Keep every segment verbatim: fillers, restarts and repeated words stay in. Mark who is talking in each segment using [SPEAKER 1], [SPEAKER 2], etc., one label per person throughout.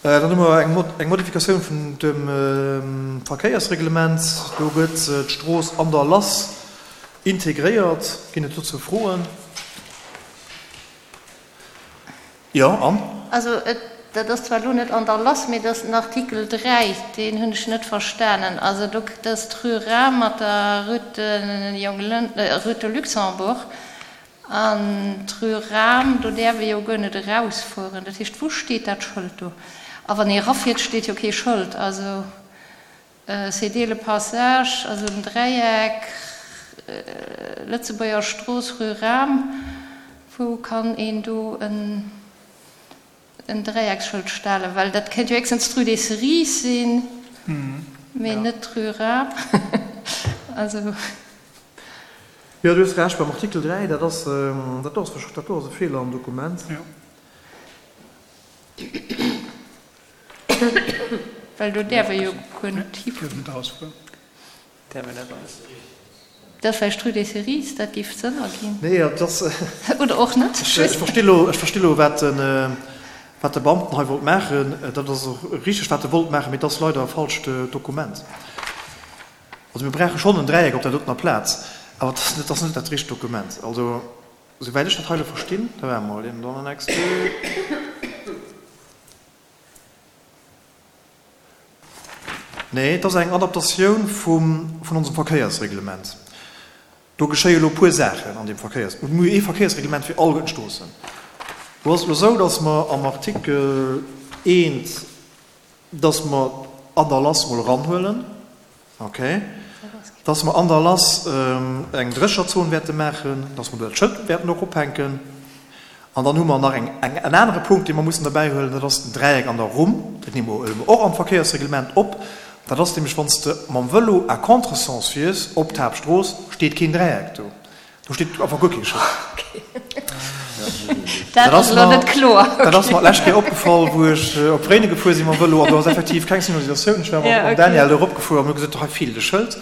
[SPEAKER 1] Dann hu mer eng Modifikatioun vun dem Verkéiersreglement. Do gëtt d'Strooss An der Lass integréiert. Ginn et dozou Froen? Jo, Anne?
[SPEAKER 2] Also dat ass zwar elo net an der Lass, mee dat ass den Artikel dräi, deen hunn ech net verstanen. Also do, dat ass d'Rue Rahm mat der Rue de Luxembourg. An d'Rue Rahm, do däerf ee jo guer net erausfueren. Dat heescht, wou steet dat Schëld do? A wann ee erafiert, steet jo kee Schëld. Also céder le passage, also den Dräieck, Lëtzebuerger Strooss, Rue Rahm, wou kann een do en Dräiecksschëld stellen? Well dat kéint jo héchstens d'Rue des Cerises sinn, mee net d'Rue Rahm. Also.
[SPEAKER 1] Jo, du hues Recht, beim Artikel dräi, dat ass, dat do ass, dat do ass e Feeler am Dokument.
[SPEAKER 2] Well do däerf ee jo guer net hifueren. Dat ass vläicht d'Rue des Cerises, dat géif Sënn erginn.
[SPEAKER 1] Nee, dat ass.
[SPEAKER 2] Oder och net.
[SPEAKER 1] Ech versti lo, ech versti lo, wat den, wat de Beamten hei wollt maachen. Dat ass och richteg, wat e wollt maachen, mee et ass leider e falscht Dokument. Also mir brauche schonn en Dräieck op där dotener Plaz, awer et ass net dat richtegt Dokument. Also souwäit ech dat hei elo verstinn, da waarde mer mol, dann annexe deux. Nee, et ass eng Adaptatioun vum, vun onsem Verkéiersreglement. Do geschéie elo e puer Saachen an deem Verkéiers, mir hu ee Verkéiersreglement fir alleguerten d'Stroossen. Do ass et elo esou, datt mer am Artikel eent, datt mer an der Lass mol eranhuelen, Ok. Dass mer an der Lass eng Drécherzon wäerte maachen, dass mer do dat Schëld wäerten och ophänken. An dann hu mer nach eng, en anere Punkt, dee mer mussen derbäihuelen, dat ass den Dräieck an der Rumm. Dat nehme mer och am Verkéiersreglement op. Dat ass nämlech, wann s de mam Vëlo à contresens fiers op d'Haaptstrooss, steet keen Dräieck do. Do steet einfach guer kee Schëld.
[SPEAKER 2] Dat ass elo net kloer.
[SPEAKER 1] Dat ass mer d'lescht Kéier opgefall, wou ech op Réinen gefuer sinn mam Vëlo an do ass effektiv keng Signalisatioun. Ech war mam Daniel do eropgefuer an hu gesot, hei feelt e Schëld.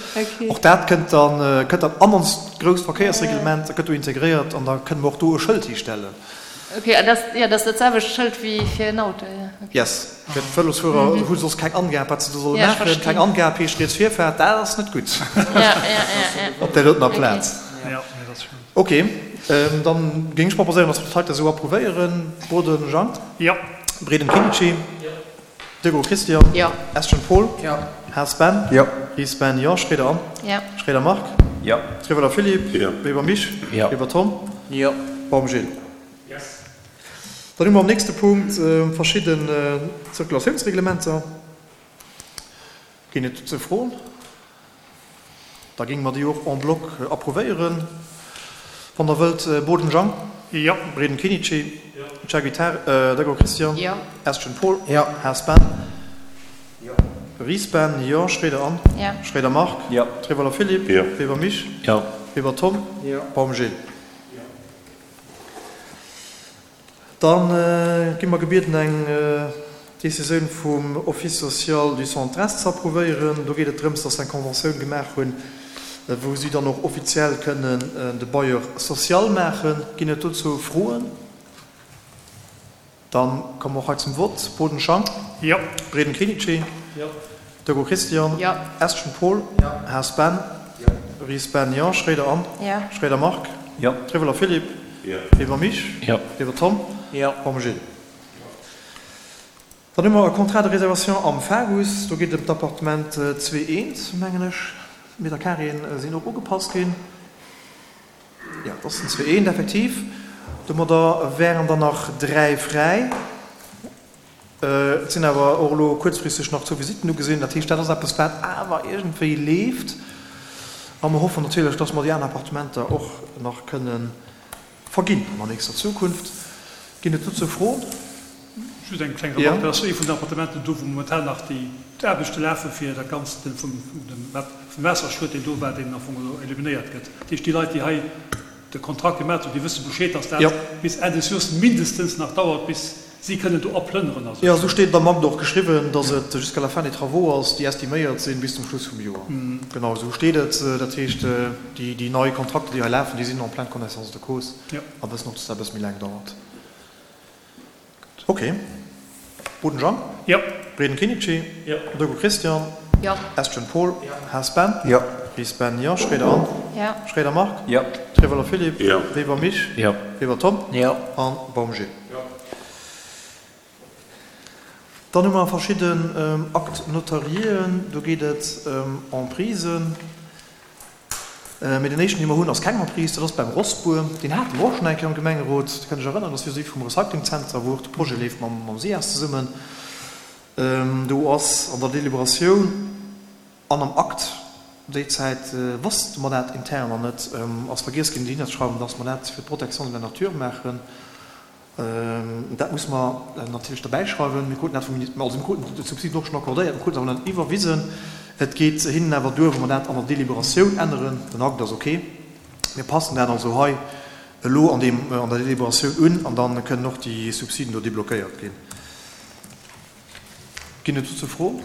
[SPEAKER 1] Och dat kënnt dann, kënnt dann an onst grousst Verkéiersreglement, gëtt do integréiert an da kënne mer och do e Schëld histellen.
[SPEAKER 2] Ok, an dat, jo, dat ass dat selwecht Schëld wéi fir en Auto, jo. Ok.
[SPEAKER 1] Yes, fir d'Vëlosfuerer hu soss keng Angab, wat se do solle maachen. Keng Angab heescht riets Virfaart, dat ass net gutt op där dotener Plaz. Ok, dann géing ech proposéieren, dass mer dat heite esou approuvéieren. Boden Jean. Breden Kinnici. Degour Christian. Estgen Paul. Haas Ben. Ries Ben, jo. Schroeder Anne. Schroeder Marc. Trewelder Philippe. Weber Mich. Weber Tom. Baum Gilles. Dann hu mer am nächste Punkt verschidden Zirkulatiounsreglementer. Ginn et dozou Froen? Da géinge mer déi och en bloc approuvéieren, wann Der wëllt. Boden Jean.
[SPEAKER 3] Jo.
[SPEAKER 1] Breden Kinnici. Jacques Degour Christian.
[SPEAKER 2] Jo.
[SPEAKER 1] Estgen Paul. Jo. Haas Ben. Jo. Ries Ben. Jo. Schroeder Anne.
[SPEAKER 2] Jo.
[SPEAKER 1] Schroeder Marc.
[SPEAKER 4] Jo.
[SPEAKER 1] Trewelder Philippe.
[SPEAKER 4] Jo.
[SPEAKER 1] Weber Mich.
[SPEAKER 4] Jo.
[SPEAKER 1] Weber Tom.
[SPEAKER 3] Jo.
[SPEAKER 1] Baum Gilles. Da gi mer gebieden eng Décisioun vum Office social du Centre-Est ze approuvéieren. Do geet et drëms, dass se eng Conventioun gemaach hunn, wou si dann och offiziell kënnen de Bailleur social maachen. Ginn et dozou Froen? Dann komme mer och hei zum Vott. Boden Jean.
[SPEAKER 3] Jo.
[SPEAKER 1] Breden Kinnici.
[SPEAKER 3] Jo.
[SPEAKER 1] Degour Christian.
[SPEAKER 2] Jo.
[SPEAKER 1] Estgen Paul.
[SPEAKER 3] Jo.
[SPEAKER 1] Haas Ben.
[SPEAKER 3] Jo.
[SPEAKER 1] Ries Ben, jo. Schroeder Anne.
[SPEAKER 2] Jo.
[SPEAKER 1] Schroeder Marc.
[SPEAKER 4] Jo.
[SPEAKER 1] Trewelder Philippe.
[SPEAKER 4] Jo.
[SPEAKER 1] Weber Mich.
[SPEAKER 4] Jo.
[SPEAKER 1] Weber Tom.
[SPEAKER 3] Jo.
[SPEAKER 1] Baum Gilles. Dann hu mer e Contrat de réservation am Fagus. Do geet et ëm d'Appartement zwee eent, mengen ech. D'Meterkareeën sinn och ugepasst ginn. Jo, et ass den zwee eent, effektiv. Domadder wären der nach dräi fräi. Et sinn awer och elo kuerzfristeg nach zwou Visitten ugesinn. Dat heescht, dat ass eppes, wat awer iergendwéi leeft. A mer hoffen natierlech, dass mer déi aner Appartementer och nach kënne verginn an der nächster Zukunft. Ginn et dozou Froen?
[SPEAKER 3] Just eng kleng Remarque, dat ass ee vun den Appartementen do, wou momentan nach déi d'Aarbechte lafe fir dat Ganzt vum Waasserschued, deen do war, deen am Fong elo eliminéiert gëtt. Dat heescht, déi Leit, déi hei de Kontrakt gemaat hunn, déi wësse Bescheed, dass dat bis Enn des Joers mindestens nach dauert, bis si kënnen do aplënneren a sou.
[SPEAKER 1] Jo, esou steet et am Akt och geschriwwen, dass et jusqu'à la fin des travaux ass, déi estiméiert sinn bis zum Schluss vum Joer. Genau esou steet et. Dat heescht, déi nei Kontrakter, déi hei lafen, déi sinn en pleine connaissance de cause a wëssen och, dass dat e bësse méi laang dauert. Ok. Boden Jean?
[SPEAKER 3] Jo.
[SPEAKER 1] Breden Kinichi?
[SPEAKER 3] Jo.
[SPEAKER 1] Degout Christian?
[SPEAKER 2] Jo.
[SPEAKER 1] Estgen Paul?
[SPEAKER 3] Jo.
[SPEAKER 1] Haas Ben?
[SPEAKER 4] Jo.
[SPEAKER 1] Ries Ben, jo. Schroeder Anne?
[SPEAKER 2] Jo.
[SPEAKER 1] Schroeder Marc?
[SPEAKER 4] Jo.
[SPEAKER 1] Trevoller Philippe?
[SPEAKER 5] Jo.
[SPEAKER 1] Weber Mich?
[SPEAKER 4] Jo.
[SPEAKER 1] Weber Tom?
[SPEAKER 4] Jo.
[SPEAKER 1] An Baum Gilles?
[SPEAKER 5] Jo.
[SPEAKER 1] Dann hu mer verschidden Actes notariéen. Do geet et ëm Emprisen. Mee den éischten, dee mer hunn, ass keng Emprise, dat ass beim Rossbuer. Deen hate mer och schonn eng Kéier am Gemengerot. Dir kënnt Iech erënneren, dat ass vis-à-vis vum Recyclingzenter, wou och de Projet leeft mam, mam SIAS zesummen. Do ass an der Deliberatioun an am Akt, déi Zäit wosste mer dat intern nach net, ass vergiess ginn dohinnerzeschreiwen, dass mer dat fir d'Protection de la nature maachen. Dat musse mer natierlech derbäischreiwen. Mir kruten dat vum Ministère, also mir kruten d'Subsiden och schonn accordéiert, mir kruten se awer net iwwerwisen. Et geet hinnen awer duer, wa mer dat an der Deliberatioun änneren. Den Akt ass ok. Mir passen dat also hei elo an deem, an der Deliberatioun un an da kënnen och déi Subsiden do deblockéiert ginn. Ginn et dozou Froen?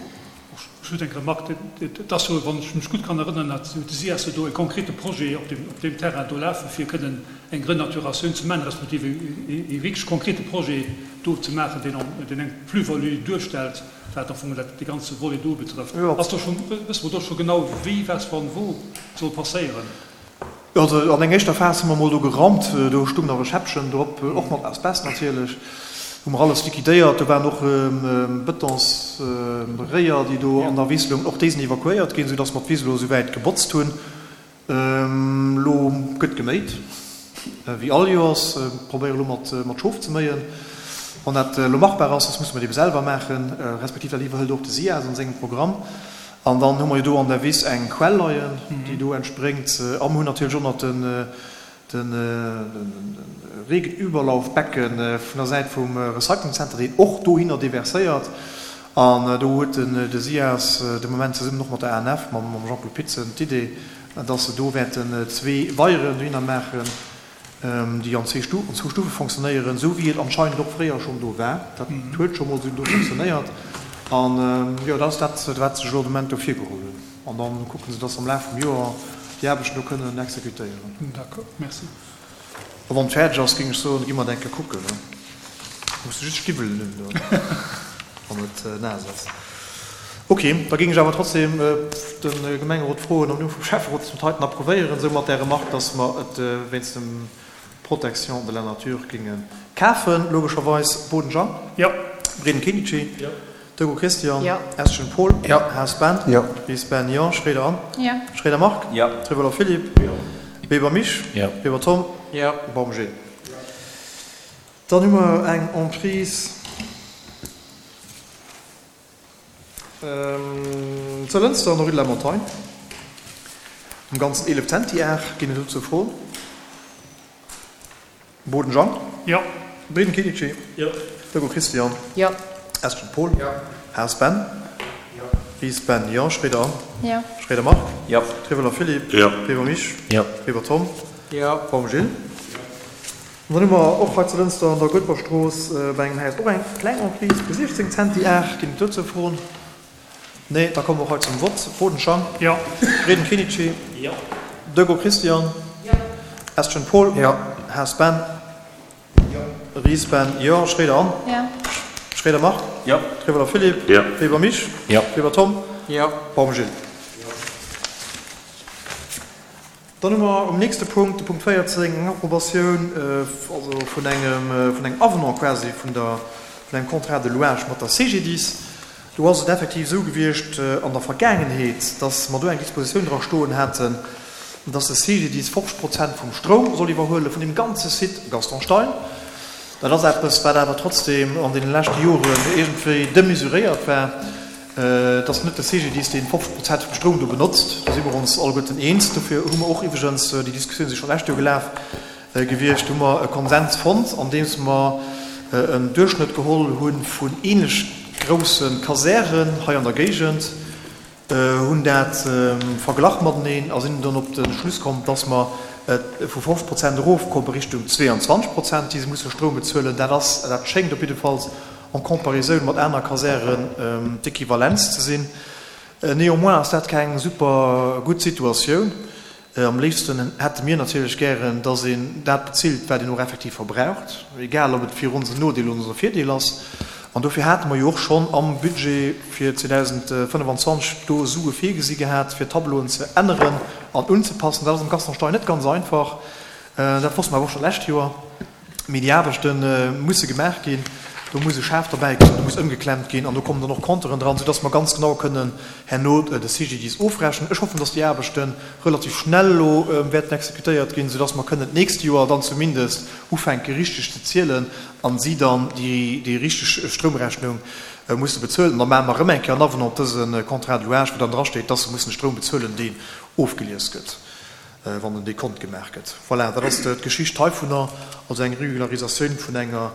[SPEAKER 3] Ech hunn eng Remarque. Et ass jo, wann ech mech gutt kann erënneren, hat de SIAS jo do e konkrete Projet op deem, op deem Terrain do lafen, fir kënnen eng Renaturatioun ze maachen, respektiv e wierklech konkrete Projet do ze maachen, deen, deen eng Plus-value duerstellt, wat am Fong dat, dee ganze Volet do betrëfft. Ass do schonn, wësse mer do scho genau, wéi, wat, wann, wou soll passéieren?
[SPEAKER 1] Jo, also an enger éischter Phas hu mer emol do gerammt, do stung nach e Schäppchen drop, och mat Asbest natierlech. Hu mer alles liquidéiert. Do waren och Betonsréier, déi do an der Wiss loungen. Och déi sinn evakuéiert ginn, soudass mer d'Wiss elo esouwäit gebotzt hunn. Elo gëtt geméit, wéi all Joers. Probéiere elo mat Schof ze méien. Wann dat elo machbar ass, soss musse mer et ebe selwer maachen, respektiv dat iwwerhëlt och de SIAS an sengem Programm. An dann hu mer jo do an der Wiss eng Quell leien, déi do entspréngt. A mer hunn natierlech och nach de Regenüberlaufbecken vun der Säit vum Recyclingcenter, deen och dohinner deverséiert. An do huet de SIAS de Moment zesummen och mat der A N F, mam Jean-Claude Pitzen, d'Idee, dass se do wäerten zwee Weieren dohinner maachen, déi an zwee Stufen, zwou Stufe fonctionnéieren, esou wéi et anscheinend och fréier schonn do war. Dat huet scho mol esou do fonctionnéiert. An jo, dat ass dat, wat se sech elo de Moment do virgeholl hunn. An da kucke se, dass se am Laf vum Joer déi Aarbechten do kënnen exekutéieren.
[SPEAKER 3] D'accord, merci.
[SPEAKER 1] A wann et fäerdeg ass, géing ech soen, gi mer et eng Kéier kucken. Muss de just Stiwwelen un do, wann et naass ass. Ok, da géing ech awer trotzdem de Gemengerot froen, am Numm vum Schäfferot, dass mer dat heiten approuvéieren, esou mat där Remarque, dass mer et wéinst dem Protection de la nature géinge kafen, logescherweis. Boden Jean?
[SPEAKER 3] Jo.
[SPEAKER 1] Breden Kenichi?
[SPEAKER 3] Jo.
[SPEAKER 1] Degout Christian?
[SPEAKER 2] Jo.
[SPEAKER 1] Estgen Paul?
[SPEAKER 4] Jo.
[SPEAKER 1] Haas Ben?
[SPEAKER 4] Jo.
[SPEAKER 1] Ries Ben, jo. Schroeder Anne?
[SPEAKER 2] Jo.
[SPEAKER 1] Schroeder Marc?
[SPEAKER 4] Jo.
[SPEAKER 1] Trevoller Philippe?
[SPEAKER 5] Jo.
[SPEAKER 1] Weber Mich?
[SPEAKER 4] Jo.
[SPEAKER 1] Weber Tom?
[SPEAKER 4] Jo.
[SPEAKER 1] Baum Gilles? Dann hu mer eng Emprise zu Lënster an der Rue de la Montagne. Am Ganzen eelef Zentiar. Ginn et dozou Froen? Boden Jean?
[SPEAKER 3] Jo.
[SPEAKER 1] Breden Kinichi?
[SPEAKER 3] Jo.
[SPEAKER 1] Degout Christian?
[SPEAKER 2] Jo.
[SPEAKER 1] Estgen Paul?
[SPEAKER 4] Jo.
[SPEAKER 1] Haas Ben?
[SPEAKER 4] Jo.
[SPEAKER 1] Ries Ben, jo. Schroeder Anne?
[SPEAKER 2] Jo.
[SPEAKER 1] Schroeder Marc?
[SPEAKER 4] Jo.
[SPEAKER 1] Trevoller Philippe?
[SPEAKER 5] Jo.
[SPEAKER 1] Weber Mich?
[SPEAKER 4] Jo.
[SPEAKER 1] Weber Tom?
[SPEAKER 4] Jo.
[SPEAKER 1] Baum Gilles? Jo. An dann hu mer och hei zu Lënster an der Goetberstrooss bei engem Haus och eng kleng Emprise vu siechzéng Zentiar. Ginn et dozou Froen? Nee, da komme mer och hei zum Vott. Boden Jean?
[SPEAKER 3] Jo.
[SPEAKER 1] Breden Kinichi?
[SPEAKER 3] Jo.
[SPEAKER 1] Degout Christian?
[SPEAKER 2] Jo.
[SPEAKER 1] Estgen Paul?
[SPEAKER 4] Jo.
[SPEAKER 1] Haas Ben?
[SPEAKER 4] Jo.
[SPEAKER 1] Ries Ben, jo. Schroeder Anne?
[SPEAKER 2] Jo.
[SPEAKER 1] Schroeder Marc?
[SPEAKER 4] Jo.
[SPEAKER 1] Trevoller Philippe?
[SPEAKER 5] Jo.
[SPEAKER 1] Weber Mich?
[SPEAKER 4] Jo.
[SPEAKER 1] Weber Tom?
[SPEAKER 4] Jo.
[SPEAKER 1] Baum Gilles?
[SPEAKER 4] Jo.
[SPEAKER 1] Dann hu mer um nächste Punkt, de Punkt véierzéng, eng Approbatioun, also vun engem, vun engem Avenant quasi vun der, vun engem Contrat de louage mat der C G D I S. Do ass et effektiv esou gewiescht an der Vergaangenheet, dass mer do eng Dispositioun dra stoen haten, dass de C G D I S fofzeg Prozent vum Stroum soll iwwerhuele vun deem ganze Site Gaston Stein. Dat ass eppes, wat awer trotzdem an deene leschte Joren iergendwéi demesuréiert war. Et ass net de C G D I S, deen fofzeg Prozent vum Stroum do benotzt. Do si mer ons alleguerten eens. Dofir hu mer och iwwregens, déi Diskussioun si scho lescht Joer gelaf gewiescht, hu mer e Konsens fonnt, andeems mer en Duerchschnëtt geholl hu vun ähnlech grousse Kasären hei an der Géigend, hunn dat verglach mateneen a sinn dann op de Schluss komm, dass mer vu fofzeg Prozent erofkomme Richtung zweeanzwanzeg Prozent, déi se musse Stroum bezuelen. Dat ass, dat schéngt op jiddefalls en Comparisoun mat aner Kasären d'Equivalenz ze sinn. Néanmoins ass dat keng super gutt Situatioun. Am léifsten hätte mir natierlech gären, dass een dat bezilt, wat een och effektiv verbraucht, egal ob et fir ons en Nodeel oder en Virdeel ass. An dofir hate mer jo och schonn am Budget fir zweedausendfënnefanzwanzeg do Sue virgesi gehat, fir d'Tableauen ze änneren an unzepassen. Dat ass am Gaston Stein net ganz einfach. Dat wosste mer awer och scho lescht Joer. Mee déi Aarbechte musse gemaach ginn. Do muss e Schaf derbäi kommen, do muss ëmgeklemmt ginn an do kommen dann och Compteuren dran, soudass mer ganz genau kënnen herno de C G D I S ofrechnen. Ech hoffen, dass déi Aarbechte relativ schnell elo wäerten exekutéiert ginn, soudass mer kënnen d'nächst Joer dann zumindest ufänke richteg ze zielen a si dann déi richteg Stroumrechnung musse bezuelen. An da maache mer erëm eng Kéier en Avenant op dëse Contrat de louage, wou dann drasteet, dass se mussen de Stroum bezuelen, deen ofgelies gëtt, wann den Dekont gemaach gëtt. Voilà, dat ass d'Geschicht heivunner, also eng Regularisatioun vun enger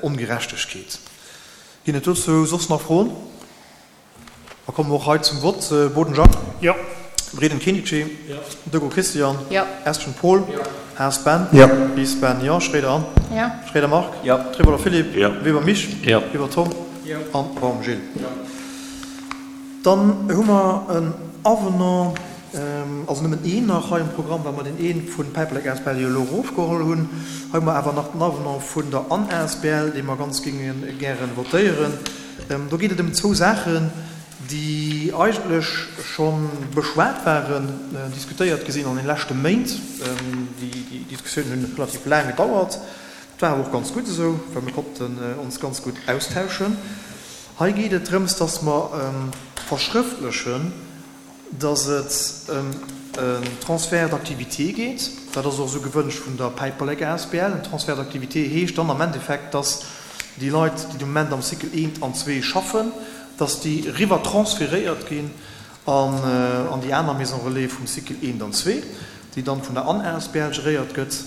[SPEAKER 1] Ongerechtegkeet. Ginn et dozou soss nach Froen? Da komme mer och hei zum Vott. Boden Jacques?
[SPEAKER 3] Jo.
[SPEAKER 1] Breden Kenichi?
[SPEAKER 3] Jo.
[SPEAKER 1] Deco Christian?
[SPEAKER 2] Jo.
[SPEAKER 1] Estgen Paul?
[SPEAKER 3] Jo.
[SPEAKER 1] Haas Ben?
[SPEAKER 4] Jo.
[SPEAKER 1] Ries Ben? Jo. Schroeder Anne?
[SPEAKER 2] Jo.
[SPEAKER 1] Schroeder Marc?
[SPEAKER 4] Jo.
[SPEAKER 1] Trewolder Philippe?
[SPEAKER 4] Jo.
[SPEAKER 1] Weber Mich?
[SPEAKER 4] Jo.
[SPEAKER 1] Weber Tom?
[SPEAKER 3] Jo.
[SPEAKER 1] An Baum Gilles?
[SPEAKER 3] Jo.
[SPEAKER 1] Dann hu mer en Avenant, also nëmmen een nach hei um Programm, well mer deen ee vun Päiperlek asbl jo elo erofgeholl hunn. Hei hu mer awer nach den Avenant vun der Anne asbl, dee mer ganz géinge gäre votéieren. Do geet et ëm zwou Saachen, déi eigentlech scho beschwat waren, diskutéiert gi sinn an den leschte Méint. Déi Diskussiounen hunn relativ laang gedauert. Dat war awer och ganz gutt esou, well mir konnten ons ganz gutt austauschen. Hei geet et drëms, dass mer verschrëftlechen, dass et ëm en Transfert d'activité geet. Dat ass och esou gewënscht vun der Päiperlek asbl. En Transfert d'activité heescht dann am Endeffekt, dass déi Leit, déi de Moment am Cycle eent an zwee schaffen, dass déi eriwwer transferéiert ginn an déi aner Maison relais vum Cycle eent an zwee, déi dann vun der Anne asbl geréiert gëtt.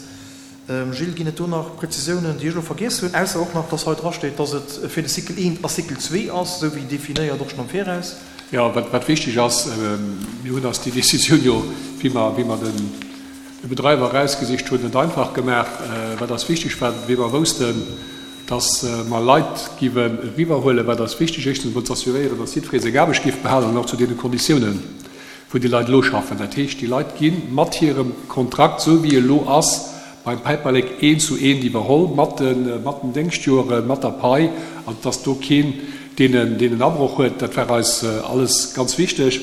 [SPEAKER 1] Gilles, ginn et do nach Prezisiounen, déi ech elo vergiess hunn, ausser och nach, dass hei drasteet, dass et fir de Cycle eent a Cycle zwee ass, esou wéi definéiert och schonn am Viraus?
[SPEAKER 5] Jo, wat wichteg ass, mir hunn eis déi Décisioun jo, wéi mer, wéi mer den de Bedreiwer erausgesicht hunn, net einfach gemaach. Wat eis wichteg war, wéi mer woussten, dass mer Leit giwen eriwwerhuelen, wat eis wichteg, éischtens emol ze assuréieren, dass jiddweree seng Aarbecht géif behalen an och zu deene Konditiounen, wou déi Leit elo schaffen. Dat heescht, déi Leit gi mat hirem Kontrakt, esou wéi e elo ass, beim Päiperlek eent zu eent iwwerholl, mat de mat den Déngschtjoren, mat der Pai, also dass do keen deen en deen en Abroch huet. Dat war eis alles ganz wichteg.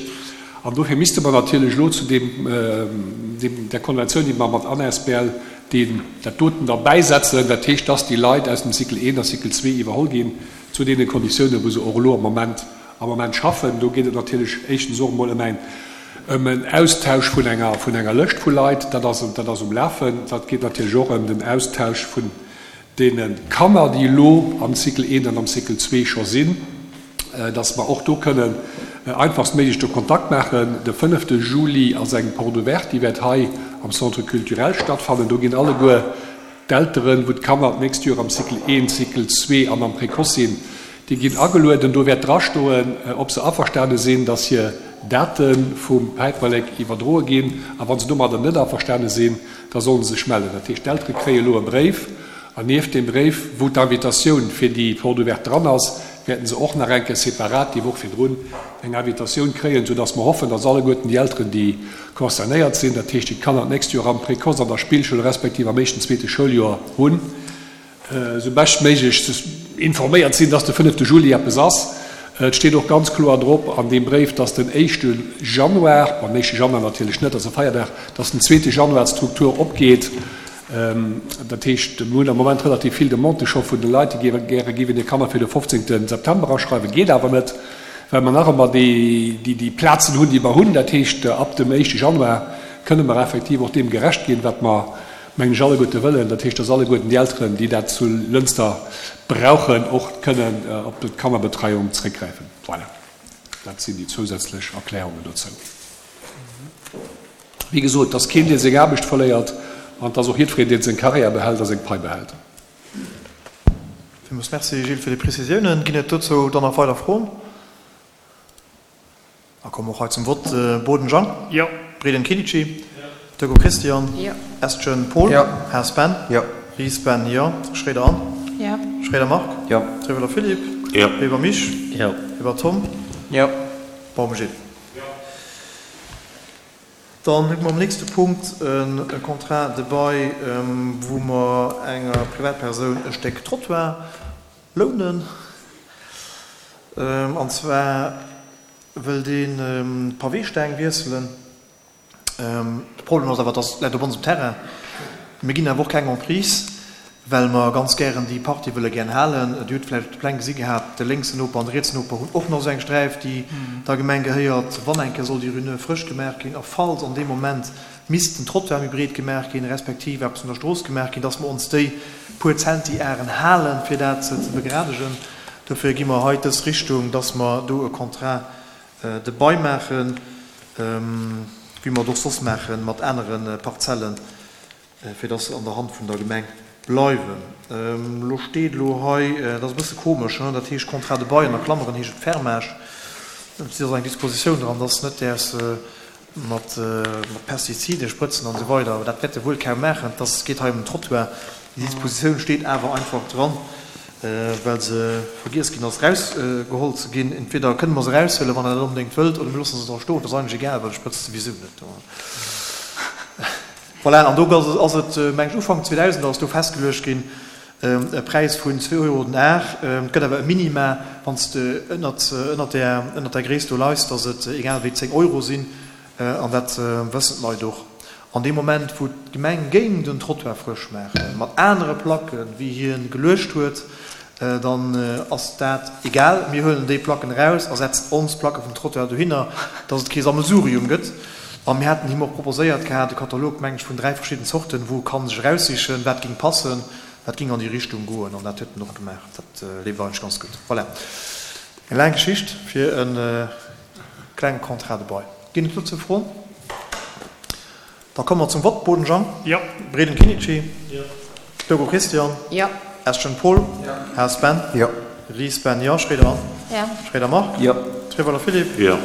[SPEAKER 5] An dofir misste mer natierlech elo zu deem deem der Konventioun, déi mer mat A N A S B L deen dat doten derbäisetzen, dat heescht, dass déi Leit aus dem Cycle eent a Cycle zwee iwwerholl ginn zu deene Konditiounen, wou se och elo am Moment am Moment schaffen. Do geet et natierlech éischtens och emol ëm eng ëm en Austausch vun enger vun enger Lëscht vu Leit, dat ass dat ass um Lafen. Dat geet natierlech och ëm den Austausch vun deene Kanner, déi elo am Cycle eent an am Cycle zwee scho sinn, dass mer och do kënnen einfachstméiglech do Kontakt maachen. De fënnefte Juli ass eng Porte ouverte, déi wäert hei am Centre culturel stattfannen. Do ginn alleguer d'Elteren, wou d'Kanner d'nächst Joer am Cycle eent, Cycle zwee an am Précoce sinn, déi ginn agelueden. Do wäert drastoen, ob se averstane sinn, dass hir Date vum Päiperlek iwwerdroe ginn. A wa se domadder net averstane sinn, da solle se sech mellen. Dat heescht, d'Eltere kréie elo e Bréif. An nieft deem Bréif, wou d'Invitatioun fir déi Porte ouverte dran ass, wäerten se och nach eng Kéier separat déi Woch virdrun eng Invitatioun kréien, soudass mer hoffen, dass alleguerten déi Elteren, déi concernéiert sinn, dat heescht, déi d'Kanner d'nächst Joer am Précoce, an der Spillschoul respektiv am éischten, zweete Schouljoer hunn, esou beschtméiglech informéiert sinn, dass de fënnefte Juli eppes ass. Et steet och ganz kloer drop an deem Bréif, dass den éischte Januar, bon, den éischte Januar natierlech net, ass e Feierdag, dass den zweete Januar d'Struktur opgeet. Dat heescht, mir hunn am Moment relativ vill Demandë scho vun de Leit, déi gäre géiwen hir Kanner fir de fofzéngte September aschreiwen. Geet awer net, well mer nach ëmmer déi Plazen hunn, déi mer hunn. Dat heescht, ab dem éischte Januar kënne mer effektiv och deem gerecht ginn, wat mer, mengen ech, alleguerte wëllen. Dat heescht, dass alleguerten déi Elteren, déi dat zu Lënster brauchen, och kënnen op d'Kannerbetreiung zréckgräifen. Voilà, dat sinn déi zousätzlech Erklärungen dozou. Wéi gesot, dass keen, dee seng Aarbecht verléiert, an dass och jiddwereen, deen seng Karriär behält a seng Pai behält.
[SPEAKER 1] Villmools Merci, Gilles, fir déi Prezisiounen. Ginn et dozou dann nach weider Froen? Da komme mer och hei zum Vott. Boden Jean.
[SPEAKER 3] Jo.
[SPEAKER 1] Breden Kinici. Deco Christian.
[SPEAKER 2] Jo.
[SPEAKER 1] Estgen Paul.
[SPEAKER 4] Jo.
[SPEAKER 1] Haas Ben.
[SPEAKER 4] Jo.
[SPEAKER 1] Ries Ben, jo. Schroeder Anne.
[SPEAKER 2] Jo.
[SPEAKER 1] Schroeder Marc.
[SPEAKER 4] Jo.
[SPEAKER 1] Trewelder Philippe.
[SPEAKER 4] Jo.
[SPEAKER 1] Weber Mich.
[SPEAKER 4] Jo.
[SPEAKER 1] Weber Tom.
[SPEAKER 4] Jo.
[SPEAKER 1] Baum Gilles. Dann hu mer am nächste Punkt e Contrat de bail, wou mer enger Privatpersoun e Stéck Trottoir lounen. An zwar wëll deen d'Paweesteng wiesselen. De Problem ass awer, dass läit op onsem Terrain. Mir ginn awer och keng Emprise, well mer ganz gären déi Partie wëlle gären halen. Dir hutt vläicht op de Pläng gesi gehat, de lénksen Noper an de rietsen Noper hunn och nach esou eng Sträif, déi der Gemeng gehéiert. Wann eng Kéier soll déi Rue Neuve frësch gemaach ginn a falls an deem Moment misst den Trottoir méi breet gemaach ginn, respektiv eppes un der Strooss gemaach ginn, dass mer ons déi puer Zentiaren halen, fir dat ze begradegen. Dofir gi mer hei dës Richtung, dass mer do e Contrat de bail maachen, wéi mer et och soss maache mat anere Parzellen, fir dass se an der Hand vun der Gemeng bleiwen. Elo steet elo hei, dat ass e bësse komesch, dat heescht Contrat de bail, an a Klammeren heescht et Fermage. Et ass eng Dispositioun dran, dass net däers mat Pestizide sprëtzen an esou weider, awer dat wäert e wuel kaum maachen, et ass, geet hei ëm den Trottoir. Déi Dispositioun steet awer einfach dran, well se vergiess ginn ass erausgeholl ze ginn. Entweder kënne mer se eraushuelen, wann Der dat onbedéngt wëllt, oder mir loosse se dra stoen, et ass eigentlech egal, well ech sprëtze souwisou net. Voilà, an do ass et, meng ech, Ufank zweedausend ass do festgeluecht ginn, e Präis vun zwee Euro den Ar. Et gëtt awer e Minima, wann s de ënnert, ënnert där, ënnert där Gréisst do leis, dass et egal wéi zéng Euro sinn. An dat wëssen d'Leit och. An deem Moment, wou d'Gemeng géing den Trottoir frësch maachen, mat anere Placken, wéi hie geluecht huet, dann ass dat egal. Mir huelen déi Placken eraus a setzen ons Placke vum Trottoir dohinner, dass et kee Sammelsurium gëtt. A mir haten him och proposéiert gehat, e Katalog, meng ech, vun dräi verschidden Zorten, wou e ka sech eraussichen, wat géing passen. Dat ging an déi Richtung goen an dat huet en och gemaach. Dat leeft eigentlech ganz gutt. Voilà, eng laang Geschicht fir e klenge Contrat de bail. Ginn et dozou Froen? Da komme mer zum Vott. Boden Jean.
[SPEAKER 3] Jo.
[SPEAKER 1] Breden Kinnici.
[SPEAKER 3] Jo.
[SPEAKER 1] Logo Christian.
[SPEAKER 2] Jo.
[SPEAKER 1] Eschen Paul.
[SPEAKER 3] Jo.
[SPEAKER 1] Haas Ben.
[SPEAKER 4] Jo.
[SPEAKER 1] Ries Ben. Jo. Schroeder Anne.
[SPEAKER 2] Jo.
[SPEAKER 1] Schroeder Marc.
[SPEAKER 4] Jo.
[SPEAKER 1] Treweiler Philippe.
[SPEAKER 4] Jo.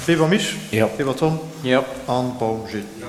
[SPEAKER 1] Weber Mich.
[SPEAKER 4] Jo.
[SPEAKER 1] Weber Tom.
[SPEAKER 4] Jo.
[SPEAKER 1] An Baum Gilles.
[SPEAKER 3] Jo.